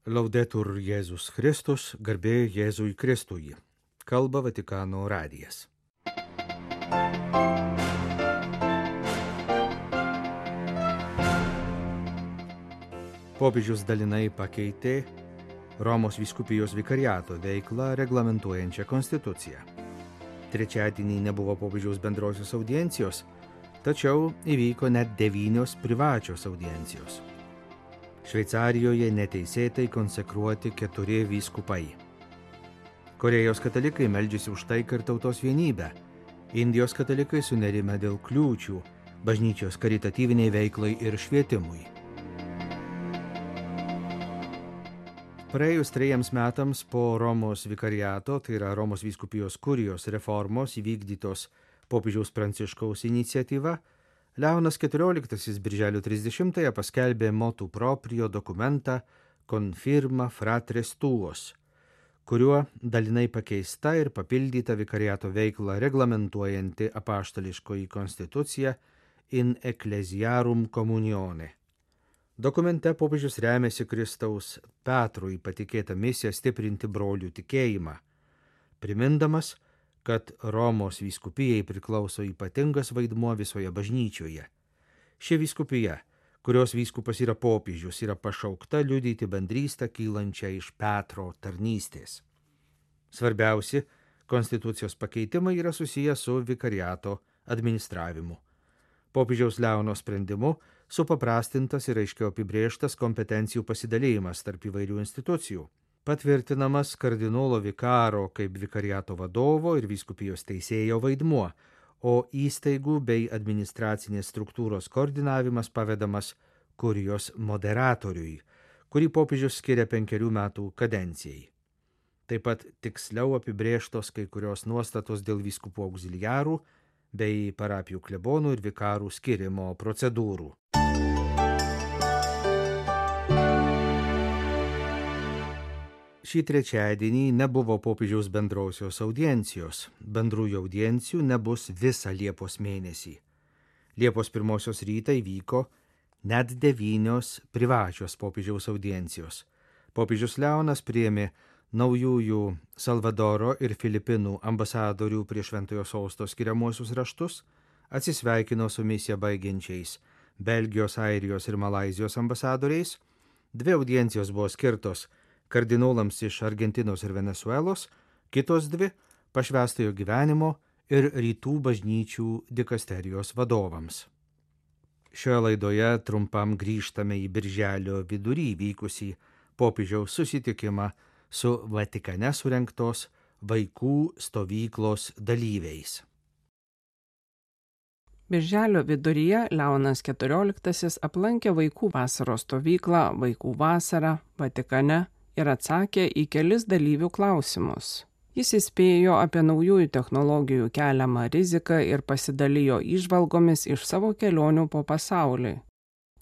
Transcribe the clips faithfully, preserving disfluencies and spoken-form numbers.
Laudetur Jėzus Kristus, garbė Jėzui Kristui. Kalba Vatikano radijas. Popiežius dalinai pakeitė Romos vyskupijos vikariato veiklą reglamentuojančią konstituciją. Trečiadienį nebuvo popiežiaus bendrosios audiencijos, tačiau įvyko net devynios privačios audiencijos. Šveicarijoje neteisėtai konsekruoti keturi vyskupai. Korėjos katalikai meldžiasi už taiką ir tautos vienybę. Indijos katalikai sunerime dėl kliūčių bažnyčios karitatyviniai veiklai ir švietimui. Praėjus trejiems metams po Romos vikariato, tai yra Romos vyskupijos kurijos reformos įvykdytos popiežiaus Pranciškaus iniciatyva, Leonas keturioliktasis birželio trisdešimtąją paskelbė motu proprio dokumentą Confirma Fratres Tuos, kuriuo dalinai pakeista ir papildyta vikariato veiklą reglamentuojanti apaštališkoji konstitucija in ecclesiarum communione. Dokumente popiežius remiasi Kristaus Petrui patikėtą misiją stiprinti brolių tikėjimą, primindamas, kad Romos vyskupijai priklauso ypatingas vaidmuo visoje bažnyčioje. Ši vyskupija, kurios vyskupas yra popiežius, yra pašaukta liudyti bendrystę kylančią iš Petro tarnystės. Svarbiausi konstitucijos pakeitimai yra susiję su vikariato administravimu. Popiežiaus Leono sprendimu supaprastintas ir aiškiau apibrėžtas kompetencijų pasidalėjimas tarp įvairių institucijų. Patvirtinamas kardinolo vikaro kaip vikariato vadovo ir vyskupijos teisėjo vaidmuo, o įstaigų bei administracinės struktūros koordinavimas pavedamas kurijos moderatoriui, kurį popiežius skiria penkerių metų kadencijai. Taip pat tiksliau apibrėžtos kai kurios nuostatos dėl vyskupų auxiliarų bei parapijų klebonų ir vikarų skirimo procedūrų. Šį trečiadienį nebuvo popiežiaus bendrosios audiencijos. Bendrųjų audiencijų nebus visą Liepos mėnesį. Liepos pirmosios rytą įvyko net devynios privačios popiežiaus audiencijos. Popiežius Leonas priėmė naujųjų Salvadoro ir Filipinų ambasadorių prie Šventojo Sosto skiriamuosius raštus, atsisveikino su misiją baigiančiais Belgijos, Airijos ir Malaizijos ambasadoriais. Dvi audiencijos buvo skirtos kardinolams iš Argentinos ir Venesuelos, kitos dvi pašvęstojo gyvenimo ir rytų bažnyčių dikasterijos vadovams. Šioje laidoje trumpam grįžtame į birželio vidury vykusį popiežiaus susitikimą su Vatikane surengtos vaikų stovyklos dalyviais. Birželio viduryje Leonas keturioliktasis aplankė vaikų vasaros stovyklą Vaikų vasara Vatikane ir atsakė į kelis dalyvių klausimus. Jis įspėjo apie naujųjų technologijų keliamą riziką ir pasidalijo įžvalgomis iš savo kelionių po pasaulį.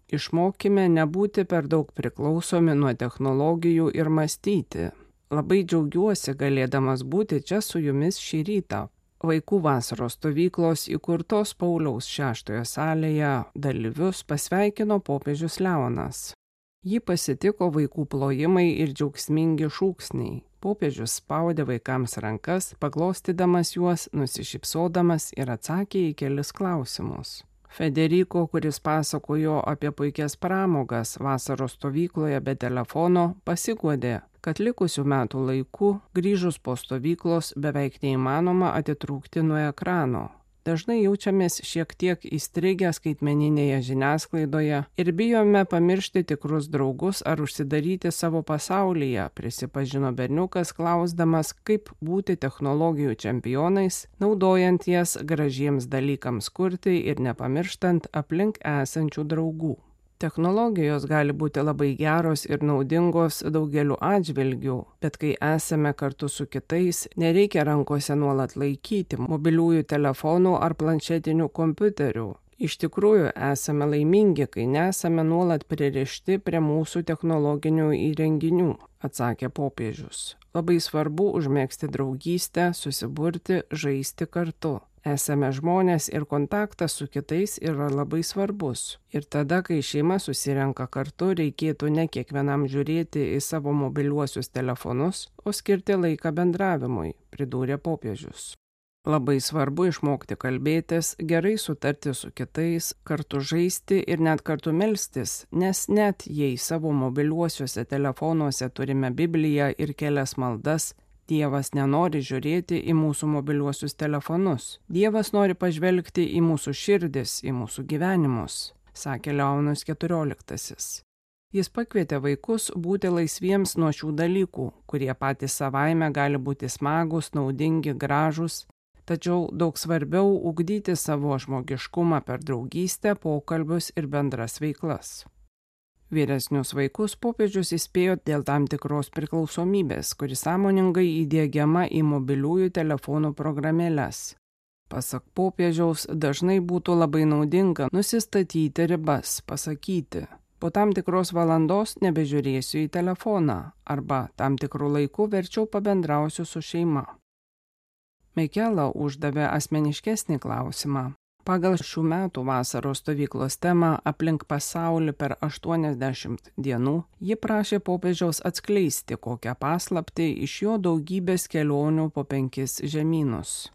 Išmokime nebūti per daug priklausomi nuo technologijų ir mąstyti. Labai džiaugiuosi galėdamas būti čia su jumis šį rytą. Vaikų vasaros stovyklos įkurtos Pauliaus šeštojo salėje dalyvius pasveikino popiežius Leonas. Jį pasitiko vaikų plojimai ir džiaugsmingi šūksniai. Popiežius spaudė vaikams rankas, paglostydamas juos, nusišypsodamas ir atsakė į kelis klausimus. Federico, kuris pasakojo apie puikias pramogas vasaros stovykloje be telefono, pasiguodė, kad likusių metų laiku, grįžus po stovyklos, beveik neįmanoma atitrūkti nuo ekrano. Dažnai jaučiamės šiek tiek įstrigę skaitmeninėje žiniasklaidoje ir bijome pamiršti tikrus draugus ar užsidaryti savo pasaulyje, prisipažino berniukas, klausdamas, kaip būti technologijų čempionais, naudojant jas gražiems dalykams kurti ir nepamirštant aplink esančių draugų. Technologijos gali būti labai geros ir naudingos daugeliu atžvilgių, bet kai esame kartu su kitais, nereikia rankose nuolat laikyti mobiliųjų telefonų ar planšetinių kompiuterių. Iš tikrųjų, esame laimingi, kai nesame nuolat pririšti prie mūsų technologinių įrenginių, atsakė popiežius. Labai svarbu užmegzti draugystę, susiburti, žaisti kartu. Esame žmonės ir kontaktas su kitais yra labai svarbus. Ir tada, kai šeima susirenka kartu, reikėtų ne kiekvienam žiūrėti į savo mobiliuosius telefonus, o skirti laiką bendravimui, pridūrė popiežius. Labai svarbu išmokti kalbėtis, gerai sutarti su kitais, kartu žaisti ir net kartu melstis, nes net jei savo mobiliuosiuose telefonuose turime Bibliją ir kelias maldas, Dievas nenori žiūrėti į mūsų mobiliuosius telefonus. Dievas nori pažvelgti į mūsų širdis, į mūsų gyvenimus, sakė Leonas keturioliktasis. Jis pakvietė vaikus būti laisviems nuo šių dalykų, kurie patys savaime gali būti smagūs, naudingi, gražūs, tačiau daug svarbiau ugdyti savo žmogiškumą per draugystę, pokalbius ir bendras veiklas. Vyresnius vaikus popiežius įspėjo dėl tam tikros priklausomybės, kuri sąmoningai įdiegiama į mobiliųjų telefonų programėles. Pasak popiežiaus, dažnai būtų labai naudinga nusistatyti ribas, pasakyti, po tam tikros valandos nebežiūrėsiu į telefoną arba tam tikrų laikų verčiau pabendrausiu su šeima. Mikela uždavė asmeniškesnį klausimą. Pagal šių metų vasaros stovyklos temą aplink pasaulį per aštuoniasdešimt dienų, ji prašė popiežiaus atskleisti kokią paslaptį iš jo daugybės kelionių po penkis žemynus.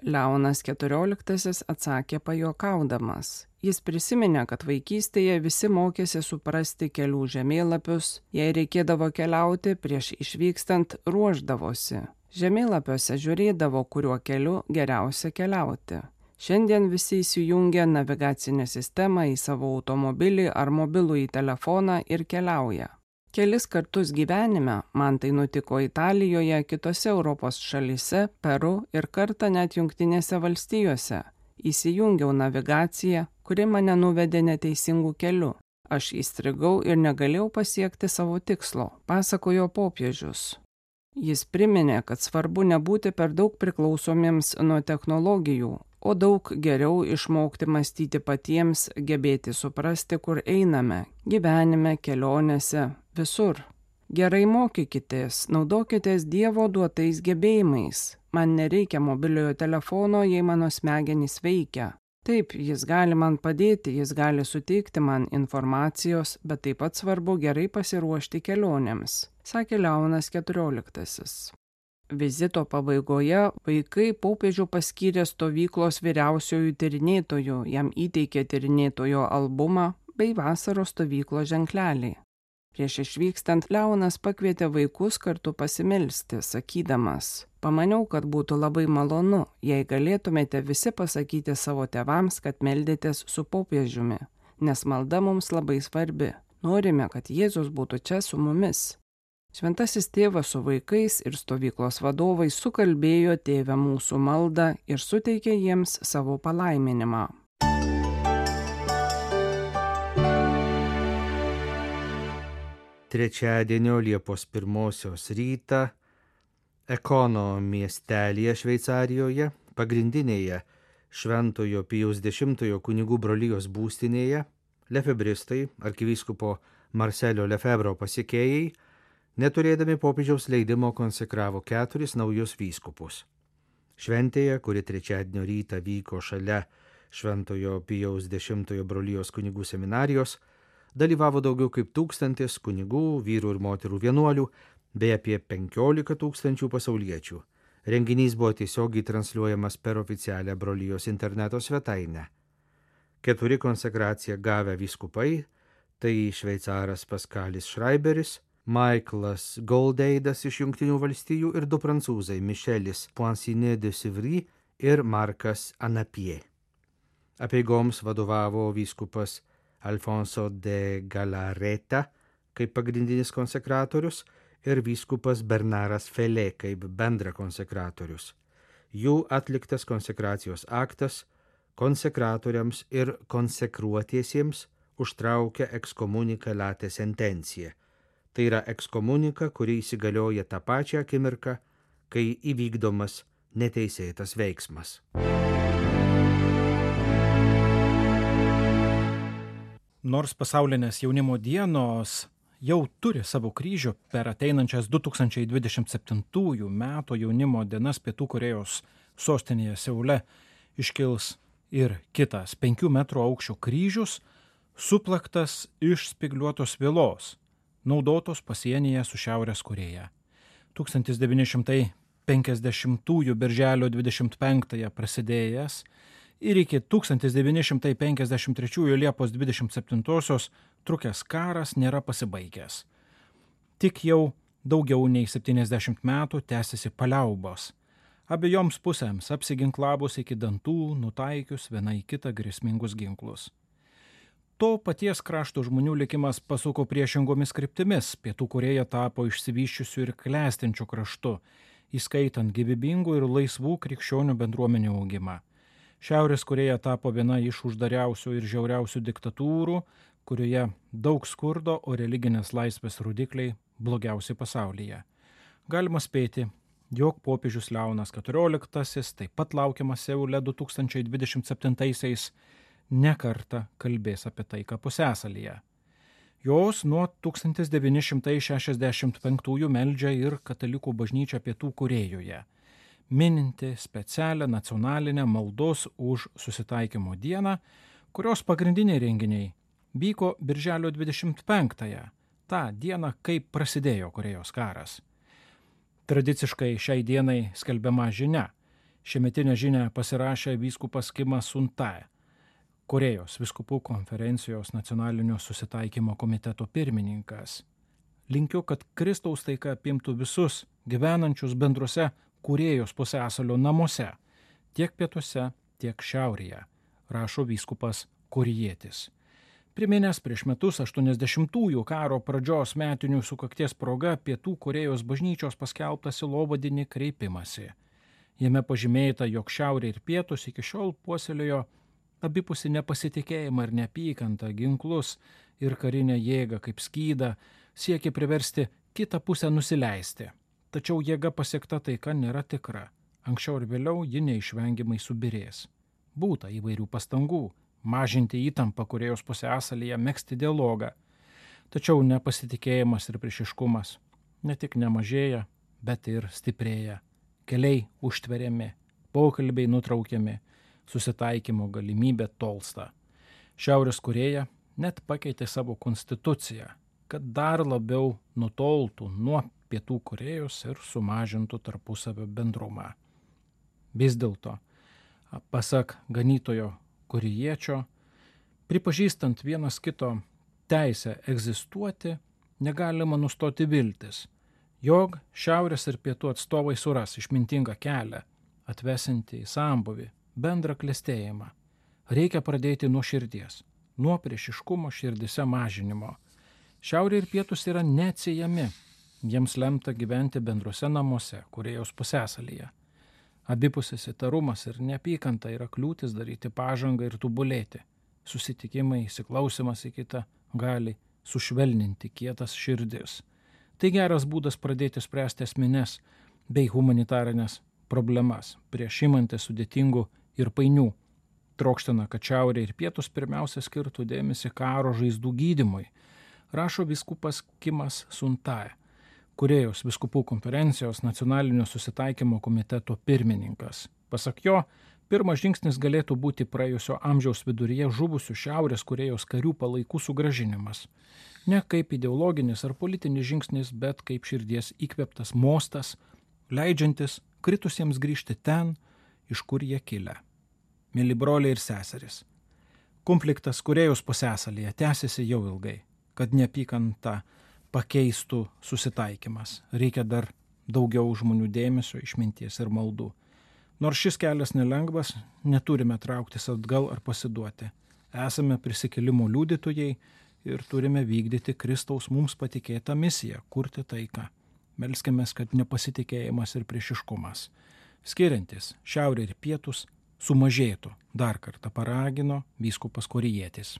Leonas keturioliktasis atsakė pajuokaudamas. Jis prisiminė, kad vaikystėje visi mokėsi suprasti kelių žemėlapius, jei reikėdavo keliauti, prieš išvykstant ruošdavosi. Žemėlapiuose žiūrėdavo, kuriuo keliu geriausia keliauti. Šiandien visi įsijungia navigacinę sistemą į savo automobilį ar mobilųjį telefoną ir keliauja. Kelis kartus gyvenime, man tai nutiko Italijoje, kitose Europos šalyse, Peru ir kartą net Jungtinėse valstijose, įsijungiau navigaciją, kuri mane nuvedė neteisingų kelių. Aš įstrigau ir negalėjau pasiekti savo tikslo, pasakojo popiežius. Jis priminė, kad svarbu nebūti per daug priklausomiems nuo technologijų, o daug geriau išmokti mąstyti patiems, gebėti suprasti, kur einame, gyvenime, kelionėse, visur. Gerai mokykitės, naudokitės Dievo duotais gebėjimais. Man nereikia mobiliojo telefono, jei mano smegenys veikia. Taip, jis gali man padėti, jis gali suteikti man informacijos, bet taip pat svarbu gerai pasiruošti kelionėms, sakė Leonas keturioliktasis. Vizito pabaigoje vaikai popiežių paskyrė stovyklos vyriausiojų tyrinėtojų, jam įteikė tyrinėtojo albumą bei vasaros stovyklos ženklelį. Prieš išvykstant Leonas pakvietė vaikus kartu pasimelsti, sakydamas, pamaniau, kad būtų labai malonu, jei galėtumėte visi pasakyti savo tėvams, kad meldėtės su popiežiumi, nes malda mums labai svarbi. Norime, kad Jėzus būtų čia su mumis. Šventasis tėvas su vaikais ir stovyklos vadovai sukalbėjo Tėve mūsų maldą ir suteikė jiems savo palaiminimą. Trečiadienio Liepos pirmosios rytą Ekono miestelyje Šveicarijoje, pagrindinėje Šventojo Pijaus dešimtojo kunigų brolijos būstinėje, lefebristai, arkivyskupo Marselio Lefebvro pasekėjai, neturėdami popiežiaus leidimo konsekravo keturis naujus vyskupus. Šventėje, kuri trečiadienio rytą vyko šalia Šventojo Pijaus dešimtojo brolijos kunigų seminarijos, dalyvavo daugiau kaip tūkstantis kunigų, vyrų ir moterų vienuolių, bei apie penkiolika tūkstančių pasauliečių. Renginys buvo tiesiogiai transliuojamas per oficialią brolijos interneto svetainę. Keturi konsekraciją gavę vyskupai, tai šveicaras Paskalis Šraiberis, Michaelas Goldeidas iš Jungtinių valstijų ir du prancūzai Michelis Poinsinet de Sivry ir Markas Anapie. Apeigoms vadovavo vyskupas Alfonso de Galareta kaip pagrindinis konsekratorius ir vyskupas Bernaras Felė kaip bendra konsekratorius. Jų atliktas konsekracijos aktas konsekratoriams ir konsekruotiesiems užtraukia ekskomunika late sentencija. Tai yra ekskomunika, kuri įsigalioja tą pačią akimirką, kai įvykdomas neteisėtas veiksmas. Nors pasaulinės jaunimo dienos jau turi savo kryžių, per ateinančias du tūkstančiai dvidešimt septintųjų metų jaunimo dienas Pietų Korėjos sostinėje Seule iškils ir kitas penkių metrų aukščio kryžius, suplaktas iš spygliuotos vielos, naudotos pasienyje su Šiaurės Korėja. tūkstantis devyni šimtai penkiasdešimtųjų birželio dvidešimt penktąją prasidėjęs ir iki tūkstantis devyni šimtai penkiasdešimt trečiųjų Liepos dvidešimt septintosios trukęs karas nėra pasibaigęs. Tik jau daugiau nei septyniasdešimt metų tęsiasi paliaubos. Abiejoms pusėms apsiginklavus iki dantų, nutaikius viena į kitą grėsmingus ginklus. To paties krašto žmonių likimas pasuko priešingomis kryptimis. Pietų Korėja tapo išsivysčiusiu ir klestinčiu kraštu, įskaitant gyvybingų ir laisvų krikščionių bendruomenių augimą. Šiaurės Korėja tapo viena iš uždariausių ir žiauriausių diktatūrų, kurioje daug skurdo, o religinės laisvės rodikliai blogiausi pasaulyje. Galima spėti, jog popiežius Leonas keturioliktasis, taip pat laukiamas Seule du tūkstančiai dvidešimt septintaisiais, ne kartą kalbės apie taiką pusiasalyje. Jos nuo tūkstantis devyni šimtai šešiasdešimt penktųjų meldžia ir katalikų bažnyčia Pietų Korėjoje, mininti specialią nacionalinę maldos už susitaikymo dieną, kurios pagrindiniai renginiai vyko birželio dvidešimt penktąją, tą dieną, kai prasidėjo Korėjos karas. Tradiciškai šiai dienai skelbiama žinia. Šiemetinę žinią pasirašė vyskupas Kimas Suntae, Korėjos vyskupų konferencijos nacionalinio susitaikymo komiteto pirmininkas. Linkiu, kad Kristaus taika apimtų visus gyvenančius bendruose Korėjos pusiasalio namuose, tiek pietuose, tiek šiaurėje, rašo vyskupas Korėjietis. Priminęs prieš metus aštuoniasdešimtųjų karo pradžios metinių sukakties proga Pietų Korėjos bažnyčios paskelbtą sielovadinį kreipimąsi. Jame pažymėta, jog šiaurė ir pietus iki šiol puoselėjo abipusį nepasitikėjimą ir neapykantą, ginklus ir karinę jėgą kaip skydą, siekė priversti kitą pusę nusileisti. Tačiau jėga pasiekta taika nėra tikra. Anksčiau ir vėliau ji neišvengiamai subirės. Būta įvairių pastangų mažinti įtampą Korėjos pusiasalyje, megzti dialogą. Tačiau nepasitikėjimas ir priešiškumas ne tik nemažėja, bet ir stiprėja. Keliai užtveriami, pokalbiai nutraukiami, susitaikymo galimybė tolsta. Šiaurės Korėja net pakeitė savo konstituciją, kad dar labiau nutoltų nuo Pietų Korėjos ir sumažintų tarpusavio bendrumą. Vis dėlto, pasak ganytojo korėjiečio, pripažįstant vienas kito teisę egzistuoti, negalima nustoti viltis, jog šiaurės ir pietų atstovai suras išmintingą kelią, atvesinti į sambūvį, bendrą klestėjimą. Reikia pradėti nuo širdies, nuo priešiškumo širdise mažinimo. Šiaurė ir pietus yra neatsiejami, jiems lemta gyventi bendruose namuose, Korėjos pusiasalyje. Abipusis įtarumas ir neapykanta yra kliūtis daryti pažangą ir tobulėti. Susitikimai, įsiklausimas į kitą gali sušvelninti kietas širdis. Tai geras būdas pradėti spręsti esmines bei humanitarinės problemas, prieš imantis sudėtingų ir painių. Trokština, kad šiaurė ir pietus pirmiausia skirtų dėmesį karo žaizdų gydymui, rašo vyskupas Kimas Suntae, Korėjos vyskupų konferencijos nacionalinio susitaikymo komiteto pirmininkas. Pasak jo, pirmas žingsnis galėtų būti praėjusio amžiaus viduryje žuvusių Šiaurės Korėjos karių palaikų sugrąžinimas. Ne kaip ideologinis ar politinis žingsnis, bet kaip širdies įkvėptas mostas, leidžiantis kritusiems grįžti ten, iš kur jie kilę. Mėly broliai ir seserys, konfliktas Korėjos pusiasalyje tęsiasi jau ilgai, kad neapykanta pakeistų susitaikymas. Reikia dar daugiau žmonių dėmesio, išminties ir maldų. Nors šis kelias nelengvas, neturime trauktis atgal ar pasiduoti. Esame prisikėlimo liudytojai ir turime vykdyti Kristaus mums patikėtą misiją – kurti taiką. Melskimės, kad nepasitikėjimas ir priešiškumas, skiriantis šiaurė ir pietus, sumažėtų, dar kartą paragino vyskupas Korėjietis.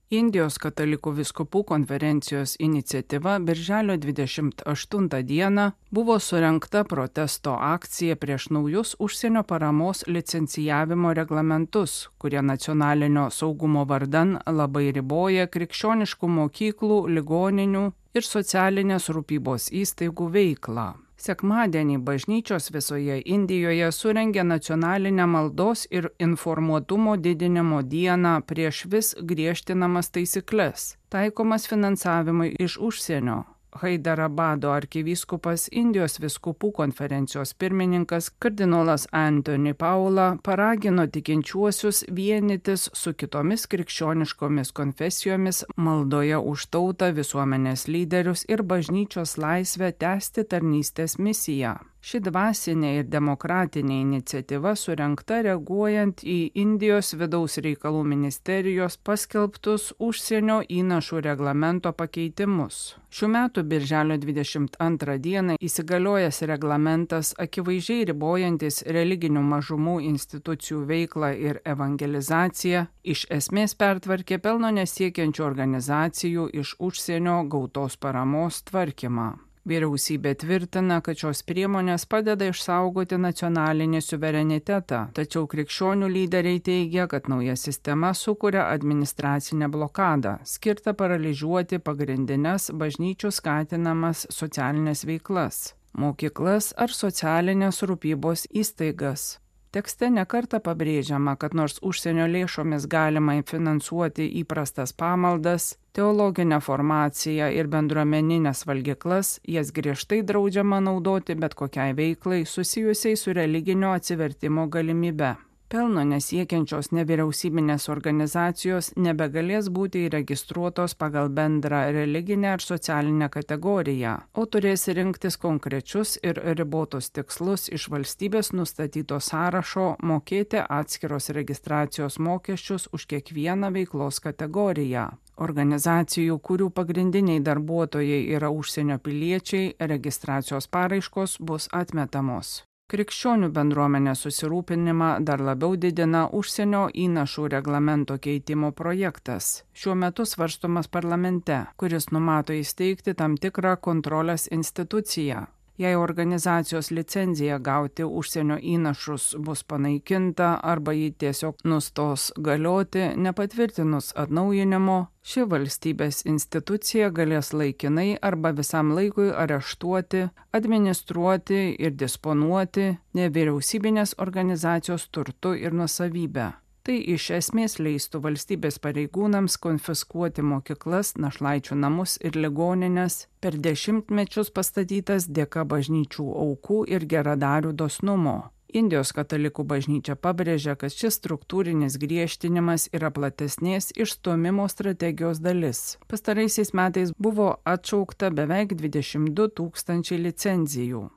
Indijos katalikų vyskupų konferencijos iniciatyva birželio dvidešimt aštuntą dieną buvo surengta protesto akcija prieš naujus užsienio paramos licencijavimo reglamentus, kurie nacionalinio saugumo vardan labai riboja krikščioniškų mokyklų, ligoninių ir socialinės rūpybos įstaigų veiklą. Sekmadienį bažnyčios visoje Indijoje surengė nacionalinę maldos ir informuotumo didinimo dieną prieš vis griežtinamas taisykles, taikomas finansavimui iš užsienio. Haidarabado arkivyskupas Indijos vyskupų konferencijos pirmininkas kardinolas Anthony Paula paragino tikinčiuosius vienytis su kitomis krikščioniškomis konfesijomis maldoje už tautą, visuomenės lyderius ir bažnyčios laisvę tęsti tarnystės misiją. Ši dvasinė ir demokratinė iniciatyva surengta reaguojant į Indijos vidaus reikalų ministerijos paskelbtus užsienio įnašų reglamento pakeitimus. Šių metų birželio dvidešimt antrą dieną įsigaliojęs reglamentas, akivaizdžiai ribojantis religinių mažumų institucijų veiklą ir evangelizaciją, iš esmės pertvarkė pelno nesiekiančių organizacijų iš užsienio gautos paramos tvarkymą. Vyriausybė tvirtina, kad šios priemonės padeda išsaugoti nacionalinį suverenitetą, tačiau krikščionių lyderiai teigia, kad nauja sistema sukuria administracinę blokadą, skirtą paralyžiuoti pagrindines bažnyčių skatinamas socialinės veiklas, mokyklas ar socialinės rūpybos įstaigas. Tekste nekartą pabrėžiama, kad nors užsienio lėšomis galima finansuoti įprastas pamaldas, teologinę formaciją ir bendruomeninės valgyklas, jas griežtai draudžiama naudoti bet kokiai veiklai susijusiai su religinio atsivertimo galimybe. Pelno nesiekiančios nevyriausybinės organizacijos nebegalės būti įregistruotos pagal bendrą religinę ar socialinę kategoriją, o turės rinktis konkrečius ir ribotus tikslus iš valstybės nustatyto sąrašo, mokėti atskiros registracijos mokesčius už kiekvieną veiklos kategoriją. Organizacijų, kurių pagrindiniai darbuotojai yra užsienio piliečiai, registracijos paraiškos bus atmetamos. Krikščionių bendruomenės susirūpinimą dar labiau didina užsienio įnašų reglamento keitimo projektas, šiuo metu svarstomas parlamente, kuris numato įsteigti tam tikrą kontrolės instituciją. Jei organizacijos licenzija gauti užsienio įnašus bus panaikinta arba ji tiesiog nustos galioti, nepatvirtinus atnaujinimo, ši valstybės institucija galės laikinai arba visam laikui areštuoti, administruoti ir disponuoti nevyriausybinės organizacijos turtu ir nuosavybę. Tai iš esmės leistų valstybės pareigūnams konfiskuoti mokyklas, našlaičių namus ir ligonines, per dešimtmečius pastatytas dėka bažnyčių aukų ir geradarių dosnumo. Indijos katalikų bažnyčia pabrėžia, kad šis struktūrinis griežtinimas yra platesnės išstūmimo strategijos dalis. Pastaraisiais metais buvo atšaukta beveik dvidešimt du tūkstančiai licenzijų.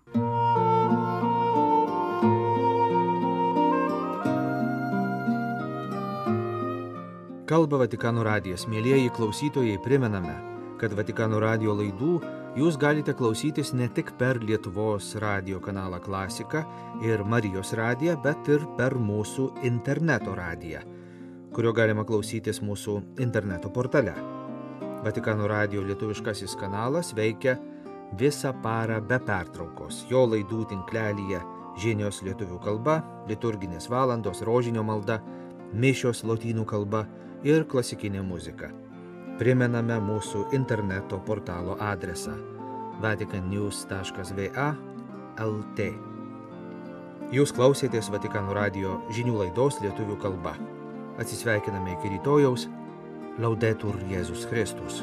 Kalba Vatikano radijas. Mielieji klausytojai, primename, kad Vatikano radijo laidų jūs galite klausytis ne tik per Lietuvos radijo kanalą Klasika ir Marijos radiją, bet ir per mūsų interneto radiją, kurio galima klausytis mūsų interneto portale. Vatikano radijo lietuviškasis kanalas veikia visą parą be pertraukos. Jo laidų tinklelyje žinios lietuvių kalba, liturginės valandos, rožinio malda, mišios lotynų kalba ir klasikinė muzika. Primename mūsų interneto portalo adresą vatican news taškas v a taškas l t. Jūs klausėtės Vatikano radijo žinių laidos lietuvių kalba. Atsisveikiname iki rytojaus. Laudetur Jėzus Kristus.